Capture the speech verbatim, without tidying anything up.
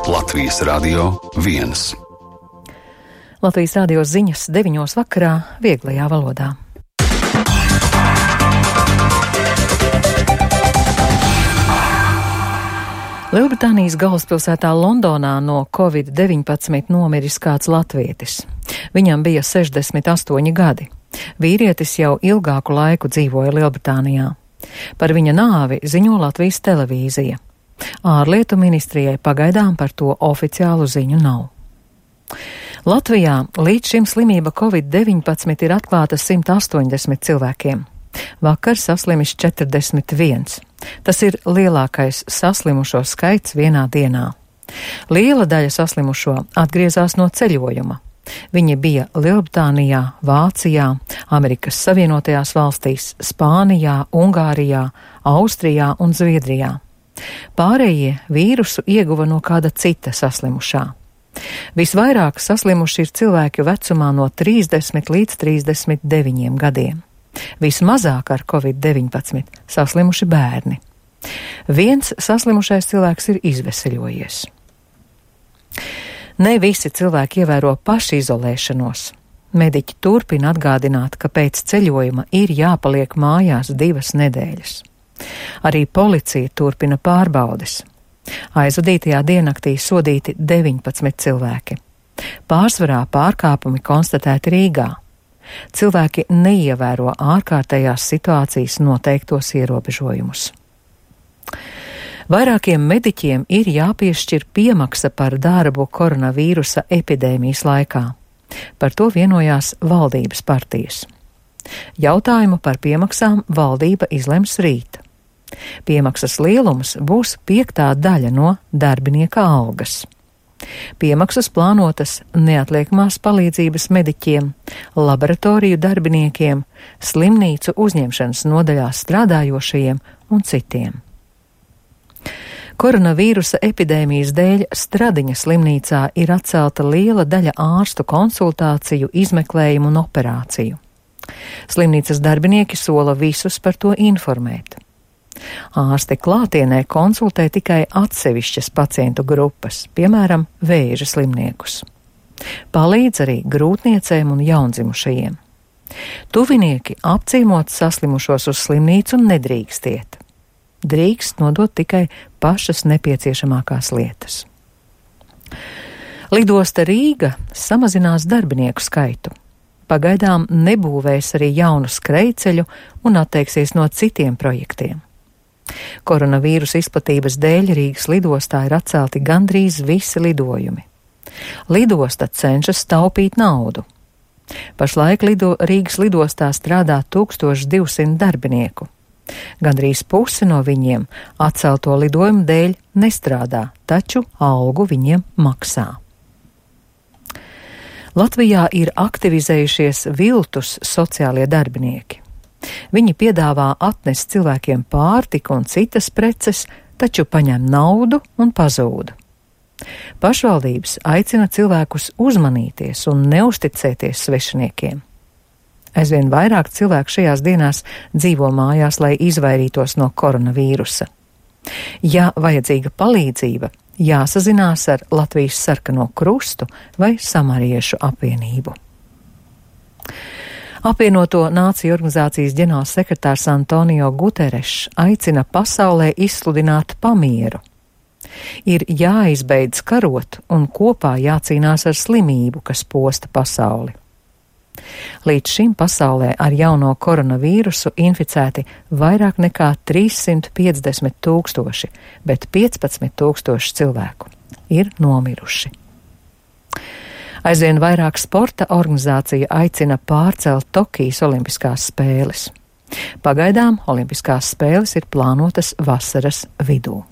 Latvijas Radio viens. Latvijas radio ziņas deviņos vakarā vieglajā valodā. Lielbritānijas galvaspilsētā Londonā no covid deviņpadsmit nomiris kāds latvietis. Viņam bija sešdesmit astoņi gadi. Vīrietis jau ilgāku laiku dzīvoja Lielbritānijā. Par viņa nāvi ziņo Latvijas televīzija. Ārlietu ministrijai pagaidām par to oficiālu ziņu nav. Latvijā līdz šim slimība covid deviņpadsmit ir atklāta simt astoņdesmit cilvēkiem. Vakar saslimis četrdesmit viens. Tas ir lielākais saslimušo skaits vienā dienā. Liela daļa saslimušo atgriezās no ceļojuma. Viņi bija Lielbritānijā, Vācijā, Amerikas Savienotajās valstīs, Spānijā, Ungārijā, Austrijā un Zviedrijā. Pārējie vīrusu ieguva no kāda cita saslimušā. Visvairāk saslimuši ir cilvēki vecumā no trīsdesmit līdz trīsdesmit deviņiem gadiem. Vismazāk ar covid deviņpadsmit saslimuši bērni. Viens saslimušais cilvēks ir izveseļojies. Ne visi cilvēki ievēro pašizolēšanos. Mediķi turpina atgādināt, ka pēc ceļojuma ir jāpaliek mājās divas nedēļas. Arī policija turpina pārbaudes. Aizvadītajā diennaktī sodīti deviņpadsmit cilvēki. Pārsvarā pārkāpumi konstatēti Rīgā. Cilvēki neievēro ārkārtējās situācijas noteiktos ierobežojumus. Vairākiem mediķiem ir jāpiešķir piemaksa par darbu koronavīrusa epidēmijas laikā. Par to vienojās valdības partijas. Jautājumu par piemaksām valdība izlems rīt. Piemaksas lielums būs piektā daļa no darbinieka algas. Piemaksas plānotas neatliekamās palīdzības mediķiem, laboratoriju darbiniekiem, slimnīcu uzņemšanas nodaļā strādājošajiem un citiem. Koronavīrusa epidēmijas dēļ Stradiņa slimnīcā ir atcelta liela daļa ārstu konsultāciju, izmeklējumu un operāciju. Slimnīcas darbinieki sola visus par to informēt. Ārsti klātienē konsultē tikai atsevišķas pacientu grupas, piemēram, vēža slimniekus. Palīdz arī grūtniecēm un jaundzimušajiem. Tuvinieki apciemot saslimušos uz slimnīcu nedrīkst iet. Drīkst nodot tikai pašas nepieciešamākās lietas. Lidosta Rīga samazinās darbinieku skaitu. Pagaidām nebūvēs arī jaunu skrejceļu un atteiksies no citiem projektiem. Koronavīrusa izplatības dēļ Rīgas lidostā ir atcelti gandrīz visi lidojumi. Lidosta cenšas taupīt naudu. Pašlaik lido, Rīgas lidostā strādā tūkstoš divsimt darbinieku. Gandrīz pusi no viņiem atcelto lidojumu dēļ nestrādā, taču algu viņiem maksā. Latvijā ir aktivizējušies viltus sociālie darbinieki. Viņi piedāvā atnest cilvēkiem pārtiku un citas preces, taču paņem naudu un pazūd. Pašvaldības aicina cilvēkus uzmanīties un neusticēties svešiniekiem. Aizvien vairāk cilvēku šajās dienās dzīvo mājās, lai izvairītos no koronavīrusa. Ja vajadzīga palīdzība, jāsazinās ar Latvijas Sarkano Krustu vai Samariešu apvienību. Apvienoto Nāciju organizācijas ģenerālsekretārs Antonio Guterešs aicina pasaulē izsludināt pamieru. Ir jāizbeidz karot un kopā jācīnās ar slimību, kas posta pasauli. Līdz šim pasaulē ar jauno koronavīrusu inficēti vairāk nekā trīssimt piecdesmit tūkstoši, bet piecpadsmit tūkstoši cilvēku ir nomiruši. Aizvien vairāk sporta organizācija aicina pārcelt Tokijas olimpiskās spēles. Pagaidām olimpiskās spēles ir plānotas vasaras vidū.